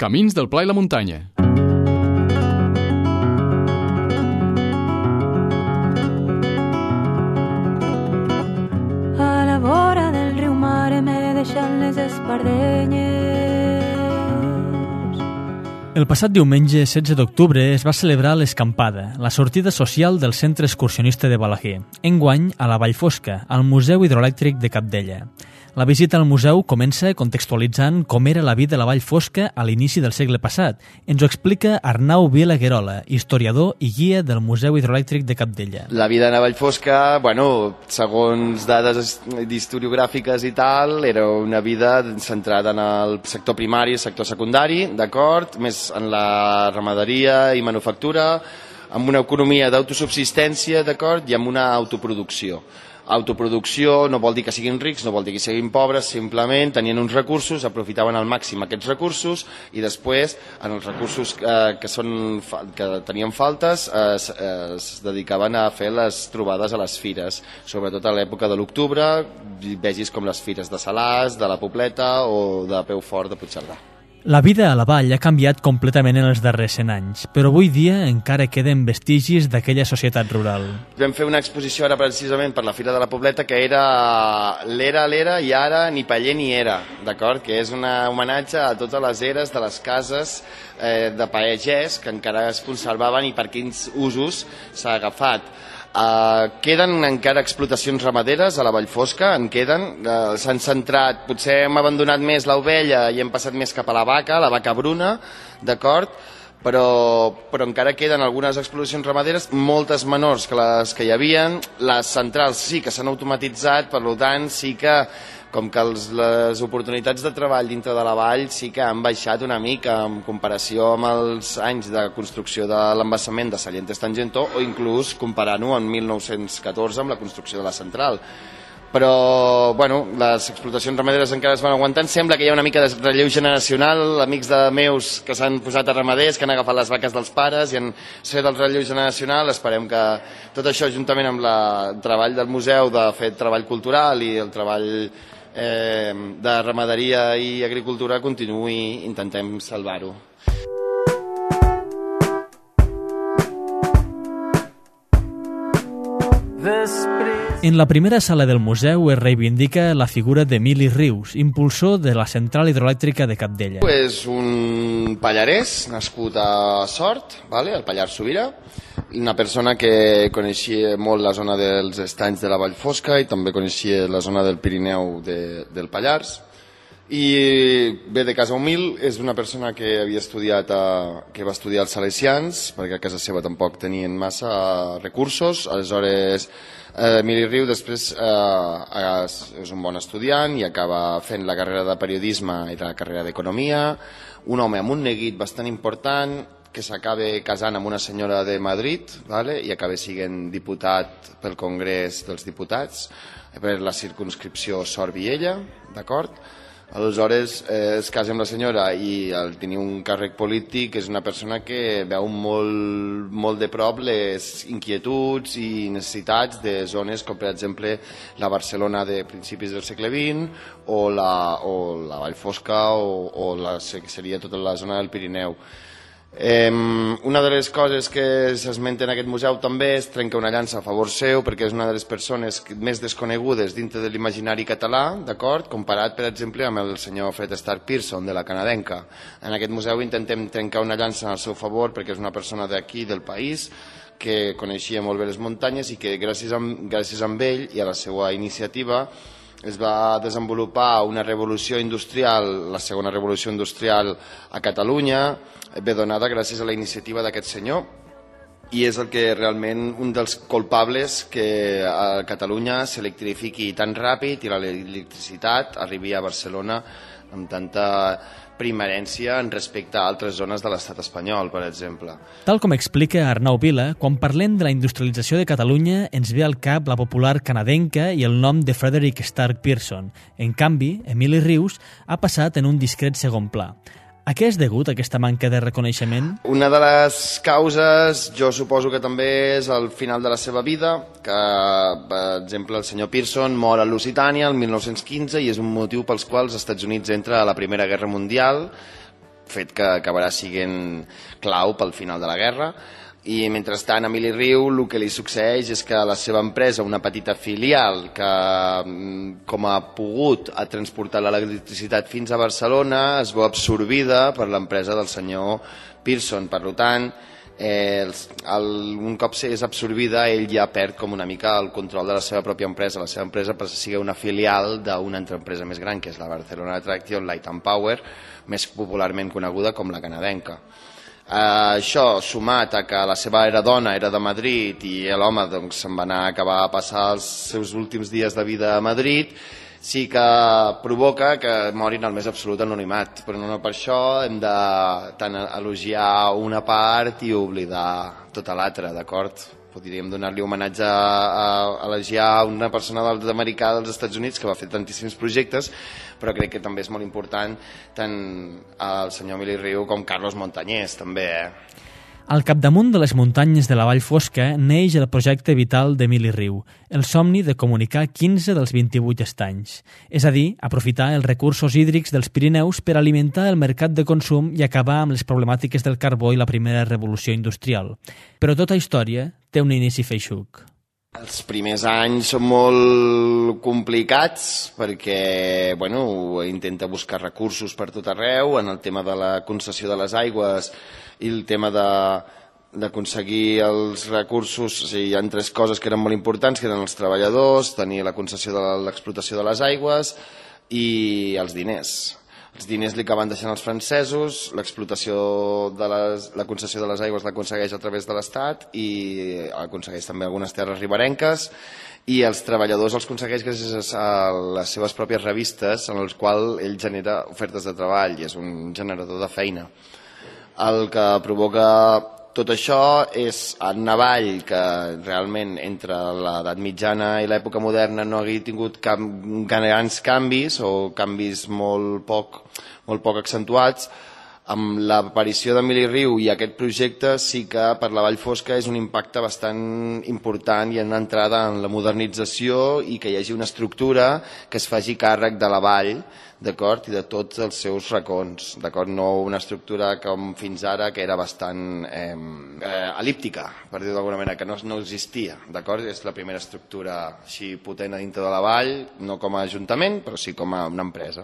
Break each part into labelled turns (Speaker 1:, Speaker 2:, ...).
Speaker 1: Camins del Pla i la Muntanya.
Speaker 2: A la vora del riu Mare me deixant les espardenyes.
Speaker 3: El passat diumenge 16 d'octubre es va celebrar l'Escampada, la sortida social del Centre Excursionista de Balaguer, enguany a la Vall Fosca, al Museu Hidroelèctric de Capdella. La visita al museu comença contextualitzant com era la vida a la Vall Fosca a l'inici del segle passat. Ens ho explica Arnau Vila Guerola, historiador i guia del Museu Hidroelèctric de Capdella.
Speaker 4: La vida a la Vall Fosca, segons dades historiogràfiques i tal, era una vida centrada en el sector primari i el sector secundari, d'acord? Més en la ramaderia i manufactura, amb una economia d'autosubsistència, d'acord? I amb una autoproducció. Autoproducció no vol dir que siguin rics, no vol dir que siguin pobres, simplement tenien uns recursos, aprofitaven al màxim aquests recursos i després, en els recursos que tenien faltes, es dedicaven a fer les trobades a les fires, sobretot a l'època de l'octubre, vegis com les fires de Salàs, de la Pobleta o de Peufort de Puigcerdà.
Speaker 3: La vida a la vall ha canviat completament en els darrers 100 anys, però avui dia encara queden vestigis d'aquella societat rural.
Speaker 4: Vam fer una exposició ara precisament per la Fira de la Pobleta que era l'era i ara ni paller ni era, d'acord? Que és un homenatge a totes les eres de les cases de pagès que encara es conservaven i per quins usos s'ha agafat. Queden encara explotacions ramaderes a la Vall Fosca, s'han centrat, potser hem abandonat més l'ovella i hem passat més cap a la vaca bruna, d'acord? Però encara queden algunes explotacions ramaderes, moltes menors que les que hi havien. Les centrals sí que s'han automatitzat, per tant sí que com que les oportunitats de treball dintre de la vall sí que han baixat una mica en comparació amb els anys de construcció de l'embassament de Sallentes-Tangentó o inclús comparant-ho en 1914 amb la construcció de la central. Però, les explotacions ramaderes encara es van aguantant. Sembla que hi ha una mica de relleu generacional, amics de meus que s'han posat a ramaders, que han agafat les vaques dels pares i han fet el relleu generacional. Esperem que tot això, juntament amb el treball del museu de fer treball cultural i el treball de ramaderia i agricultura continuï, intentem salvar-ho.
Speaker 3: En la primera sala del museu es reivindica la figura d'Emili Rius, impulsor de la central hidroelèctrica de Capdella.
Speaker 4: És un pallarès nascut a Sort, al Pallars Sobirà, una persona que coneixia molt la zona dels estanys de la Vall Fosca i també coneixia la zona del Pirineu del Pallars. I ve de casa humil, és una persona que va estudiar als Salesians, perquè a casa seva tampoc tenien massa recursos. Aleshores, Emili Riu després és un bon estudiant i acaba fent la carrera de periodisme i la carrera d'economia. Un home amb un neguit bastant important que s'acaba casant amb una senyora de Madrid i acaba sent diputat pel Congrés dels Diputats per la circumscripció Sort-Viella, d'acord? Aleshores es casa amb la senyora i al tenir un càrrec polític és una persona que veu molt de prop les inquietuds i necessitats de zones com per exemple la Barcelona de principis del segle XX o la Vall Fosca o que seria tota la zona del Pirineu. Una de les coses que s'esmenta en aquest museu també és trencar una llança a favor seu perquè és una de les persones més desconegudes dintre de l'imaginari català, d'acord? Comparat per exemple amb el senyor Fred Stark Pearson de la canadenca. En aquest museu intentem trencar una llança al seu favor perquè és una persona d'aquí, del país, que coneixia molt bé les muntanyes i que gràcies a ell i a la seva iniciativa es va desenvolupar una revolució industrial, la segona revolució industrial a Catalunya, ve donada gràcies a la iniciativa d'aquest senyor i és el que realment un dels culpables que a Catalunya s'electrifiqui tan ràpid i l'electricitat arribi a Barcelona amb tanta primerència en respecte a altres zones de l'estat espanyol, per exemple.
Speaker 3: Tal com explica Arnau Vila, quan parlem de la industrialització de Catalunya ens ve al cap la popular canadenca i el nom de Frederick Stark Pearson. En canvi, Emili Rius ha passat en un discret segon pla. A què és degut aquesta manca de reconeixement?
Speaker 4: Una de les causes, jo suposo que també és el final de la seva vida, que, per exemple, el senyor Pearson mor a Lusitània el 1915 i és un motiu pels quals els Estats Units entra a la Primera Guerra Mundial fet que acabarà sent clau pel final de la guerra. I mentrestant a Emili Riu el que li succeeix és que la seva empresa, una petita filial que com ha pogut ha transportat l'electricitat fins a Barcelona, es veu absorbida per l'empresa del senyor Pearson. Per tant, un cop és absorbida, ell ja perd com una mica el control de la seva pròpia empresa. La seva empresa passa a ser una filial d'una altra empresa més gran, que és la Barcelona Traction Light and Power, més popularment coneguda com la canadenca. Això sumat a que la seva dona era de Madrid i l'home se'n va anar a acabar a passar els seus últims dies de vida a Madrid, sí que provoca que morin al més absolut anonimat, però no per això hem de tant elogiar una part i oblidar tota l'altra, d'acord? Podríem donar-li homenatge a elogiar una persona nord-americà dels Estats Units que va fer tantíssims projectes, però crec que també és molt important tant el senyor Emili Riu com Carlos Montañés, també.
Speaker 3: Al capdamunt de les muntanyes de la Vall Fosca neix el projecte vital d'Emili Riu, el somni de comunicar 15 dels 28 estanys, és a dir, aprofitar els recursos hídrics dels Pirineus per alimentar el mercat de consum i acabar amb les problemàtiques del carbó i la primera revolució industrial. Però tota història té un inici feixuc.
Speaker 4: Els primers anys són molt complicats perquè intenta buscar recursos per tot arreu en el tema de la concessió de les aigües i el tema d'aconseguir els recursos. O sigui, hi ha tres coses que eren molt importants, que eren els treballadors, tenir la concessió de l'explotació de les aigües i els diners. Els diners li acaben deixant els francesos, l'explotació de la concessió de les aigües l'aconsegueix a través de l'Estat i aconsegueix també algunes terres riberenques, i els treballadors els aconsegueix gràcies a les seves pròpies revistes en les quals ell genera ofertes de treball i és un generador de feina. El que provoca tot això és el Navall, que realment entre l'edat mitjana i l'època moderna no hagi tingut grans canvis o canvis molt poc accentuats. Amb l'aparició d'Emili Riu i aquest projecte sí que per la Vall Fosca és un impacte bastant important i una entrada en la modernització i que hi hagi una estructura que es faci càrrec de la vall, d'acord, i de tots els seus racons, d'acord, no una estructura com fins ara que era bastant elíptica, per dir-ho d'alguna manera, que no existia, d'acord, és la primera estructura així potent a dintre de la vall, no com a ajuntament, però sí com a una empresa.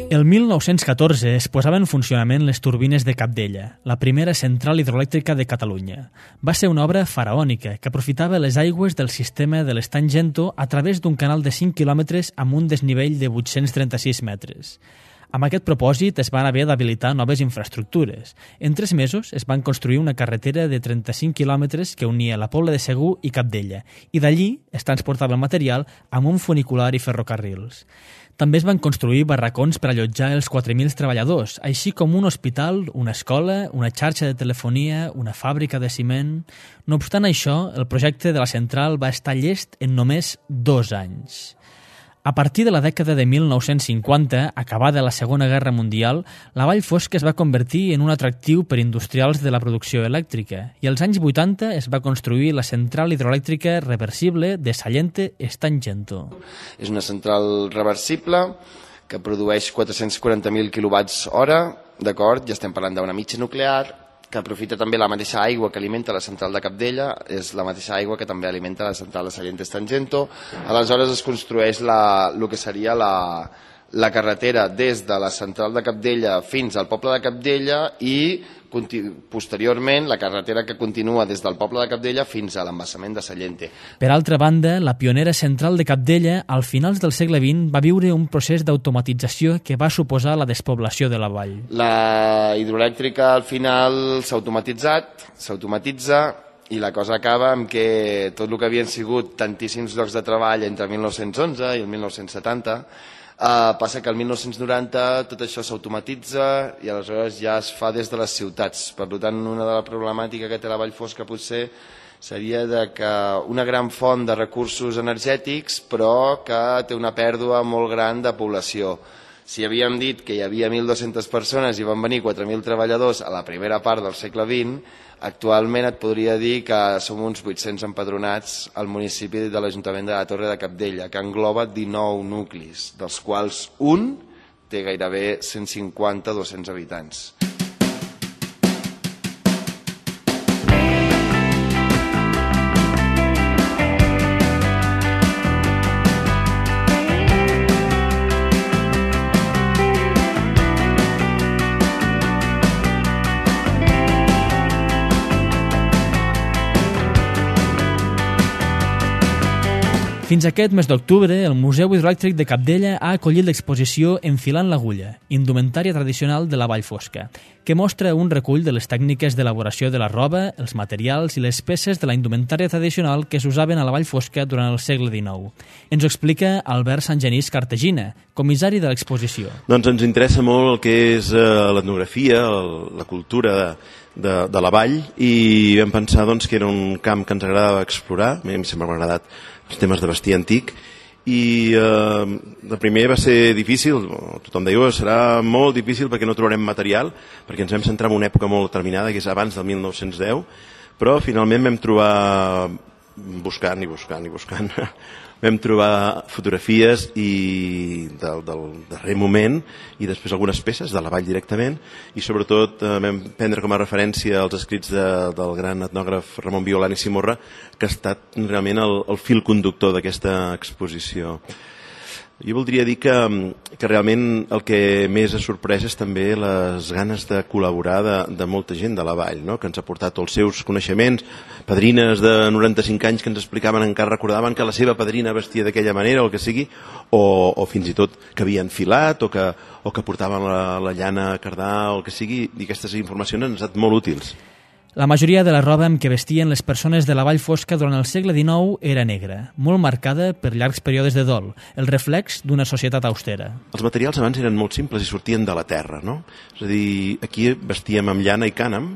Speaker 3: El 1914 es posava en funcionament les turbines de Cabdella, la primera central hidroelèctrica de Catalunya. Va ser una obra faraònica que aprofitava les aigües del sistema de l'estany Gento a través d'un canal de 5 quilòmetres amb un desnivell de 836 metres. Amb aquest propòsit es van haver d'habilitar noves infraestructures. En 3 mesos es van construir una carretera de 35 quilòmetres que unia la Pobla de Segur i Cabdella, i d'allí es transportava el material amb un funicular i ferrocarrils. També es van construir barracons per allotjar els 4.000 treballadors, així com un hospital, una escola, una xarxa de telefonia, una fàbrica de ciment. No obstant això, el projecte de la central va estar llest en només 2 anys. A partir de la dècada de 1950, acabada la Segona Guerra Mundial, la Vall Fosca es va convertir en un atractiu per industrials de la producció elèctrica i als anys 80 es va construir la central hidroelèctrica reversible de Sallente Estany Gento.
Speaker 4: És una central reversible que produeix 440.000 kWh, d'acord? Ja estem parlant d'una mitja nuclear, que aprofita també la mateixa aigua que alimenta la central de Cabdella, és la mateixa aigua que també alimenta la central de Sallente Estany Gento. Aleshores es construeix el que seria la carretera des de la central de Cabdella fins al poble de Cabdella i posteriorment la carretera que continua des del poble de Cabdella fins a l'embassament de Sallente.
Speaker 3: Per altra banda, la pionera central de Cabdella, al finals del segle XX, va viure un procés d'automatització que va suposar la despoblació de la vall.
Speaker 4: La hidroelèctrica al final s'automatitza i la cosa acaba amb que tot el que havien sigut tantíssims llocs de treball entre 1911 i el 1970 passa que el 1990 tot això s'automatitza i aleshores ja es fa des de les ciutats. Per tant, una de la problemàtica que té la Vall Fosca potser seria que una gran font de recursos energètics però que té una pèrdua molt gran de població. Si havíem dit que hi havia 1.200 persones i van venir 4.000 treballadors a la primera part del segle XX, actualment et podria dir que som uns 800 empadronats al municipi de l'Ajuntament de la Torre de Cabdella, que engloba 19 nuclis, dels quals un té gairebé 150-200 habitants.
Speaker 3: Fins aquest mes d'octubre, el Museu Hidroelèctric de Cabdella ha acollit l'exposició Enfilant l'agulla, indumentària tradicional de la Vall Fosca, que mostra un recull de les tècniques d'elaboració de la roba, els materials i les peces de la indumentària tradicional que s'usaven a la Vall Fosca durant el segle XIX. Ens ho explica Albert Sangenís Cartegina, comissari de l'exposició.
Speaker 1: Doncs ens interessa molt el que és l'etnografia, la cultura de la vall, i vam pensar doncs, que era un camp que ens agradava explorar. A mi sempre m'ha agradat els temes de vestir antic, i de primer va ser difícil, tothom deia serà molt difícil perquè no trobarem material, perquè ens vam centrar en una època molt determinada, que és abans del 1910, però finalment vam trobar, buscant i buscant, vam trobar fotografies del darrer moment i després algunes peces de la vall directament, i sobretot vam prendre com a referència els escrits del gran etnògraf Ramon Violani Simorra, que ha estat realment el fil conductor d'aquesta exposició. Jo voldria dir que realment el que més ha sorprès és també les ganes de col·laborar de molta gent de la vall, no? Que ens ha portat els seus coneixements, padrines de 95 anys que ens explicaven, encara recordaven que la seva padrina vestia d'aquella manera o el que sigui, o fins i tot que havien filat o que portaven la llana a cardar o el que sigui, i aquestes informacions han estat molt útils.
Speaker 3: La majoria de la roba amb què vestien les persones de la Vall Fosca durant el segle XIX era negra, molt marcada per llargs períodes de dol, el reflex d'una societat austera.
Speaker 1: Els materials abans eren molt simples i sortien de la terra, no? És a dir, aquí vestíem amb llana i cànem,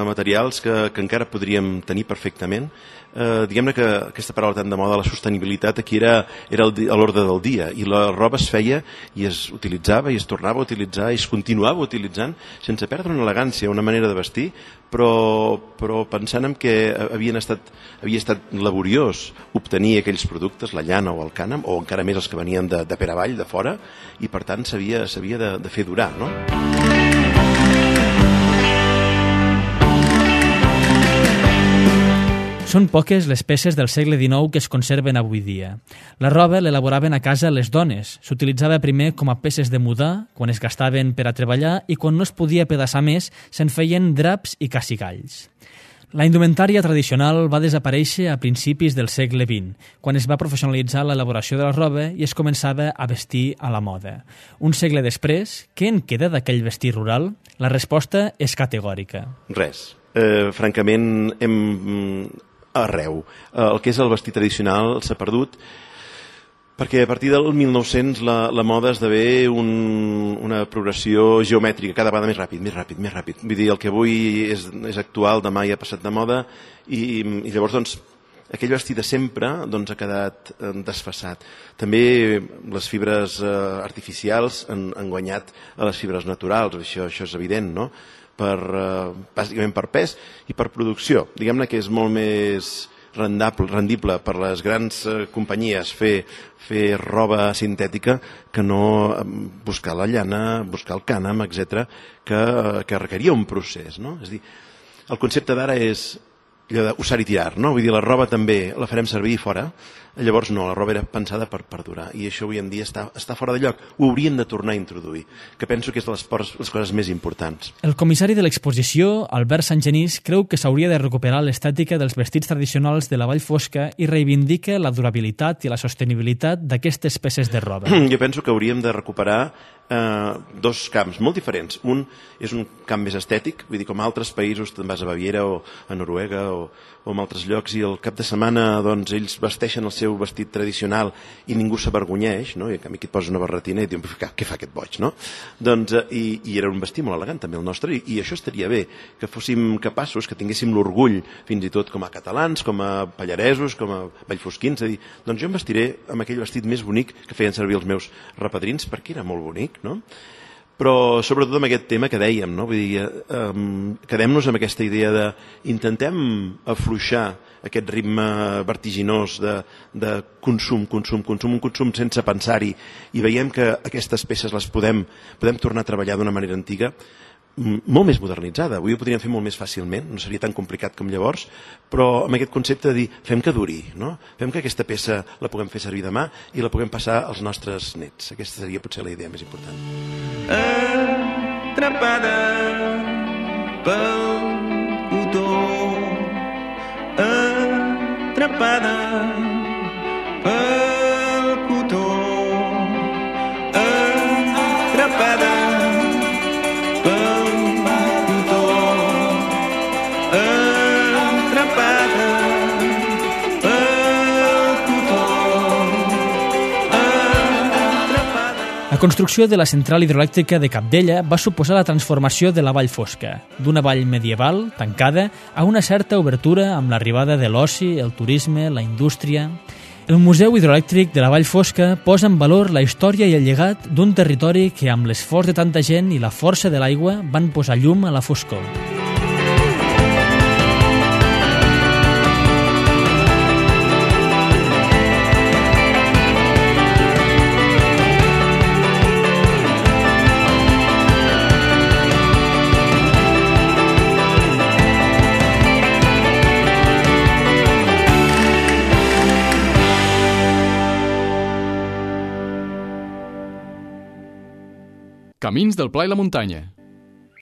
Speaker 1: materials que encara podríem tenir perfectament. Diguem-ne que aquesta paraula tan de moda, la sostenibilitat, aquí era a l'ordre del dia, i la roba es feia i es utilitzava i es tornava a utilitzar i es continuava utilitzant sense perdre una elegància, una manera de vestir, però pensant en que havia estat laboriós obtenir aquells productes, la llana o el cànem, o encara més els que venien de per avall, de fora, i per tant s'havia de fer durar, no?
Speaker 3: Són poques les peces del segle XIX que es conserven avui dia. La roba l'elaboraven a casa les dones. S'utilitzava primer com a peces de mudar, quan es gastaven per a treballar, i quan no es podia pedaçar més, se'n feien draps i cacigalls. La indumentària tradicional va desaparèixer a principis del segle XX, quan es va professionalitzar l'elaboració de la roba i es començava a vestir a la moda. Un segle després, què en queda d'aquell vestir rural? La resposta és categòrica.
Speaker 1: Res. Francament, arreu. El que és el vestit tradicional s'ha perdut, perquè a partir del 1900 la moda esdevé una progressió geomètrica, cada vegada més ràpid. Vull dir, el que avui és actual, demà ja ha passat de moda, i llavors, doncs, aquell vestit de sempre ha quedat desfasat. També les fibres artificials han guanyat a les fibres naturals, això és evident, no? Bàsicament per pes i per producció. Diguem-ne que és molt més rendible per les grans companyies fer roba sintètica que no buscar la llana, buscar el cànem, etc., que requeria un procés, no? És a dir, el concepte d'ara és allò d'usar i tirar, no? Vull dir, la roba també la farem servir fora, llavors no, la roba era pensada per perdurar, i això avui en dia està fora de lloc. Ho hauríem de tornar a introduir, que penso que és de les coses més importants.
Speaker 3: El comissari de l'exposició, Albert Sangenís, creu que s'hauria de recuperar l'estètica dels vestits tradicionals de la Vall Fosca i reivindica la durabilitat i la sostenibilitat d'aquestes peces de roba.
Speaker 1: Jo penso que hauríem de recuperar dos camps molt diferents. Un és un camp més estètic, vull dir, com a altres països, te'n vas a Baviera o a Noruega o en altres llocs, i el cap de setmana doncs, ells vesteixen els seus seu vestit tradicional i ningú s'avergonyeix, no? I a mi aquí et posa una barretina i diu, què fa aquest boig, no? Doncs, i era un vestit molt elegant també el nostre, i això estaria bé, que fóssim capaços, que tinguéssim l'orgull fins i tot com a catalans, com a pallaresos, com a vallfosquins, a dir, doncs jo em vestiré amb aquell vestit més bonic que feien servir els meus repadrins, perquè era molt bonic, no? Però sobretot amb aquest tema que dèiem, no? Vull dir, quedem-nos amb aquesta idea de intentem afluixar aquest ritme vertiginós de consum, un consum sense pensar-hi, i veiem que aquestes peces les podem tornar a treballar d'una manera antiga, molt més modernitzada. Avui ho podríem fer molt més fàcilment, no seria tan complicat com llavors, però amb aquest concepte de dir, fem que duri, no? Fem que aquesta peça la puguem fer servir demà i la puguem passar als nostres nets. Aquesta seria potser la idea més important.
Speaker 5: Atrapada pel cotó, atrapada pel cotó, atrapada
Speaker 3: La construcció de la central hidroelèctrica de Cabdella va suposar la transformació de la Vall Fosca, d'una vall medieval, tancada, a una certa obertura amb l'arribada de l'oci, el turisme, la indústria. El Museu Hidroelèctric de la Vall Fosca posa en valor la història i el llegat d'un territori que, amb l'esforç de tanta gent i la força de l'aigua, van posar llum a la foscor.
Speaker 6: Camins del Pla i la Muntanya.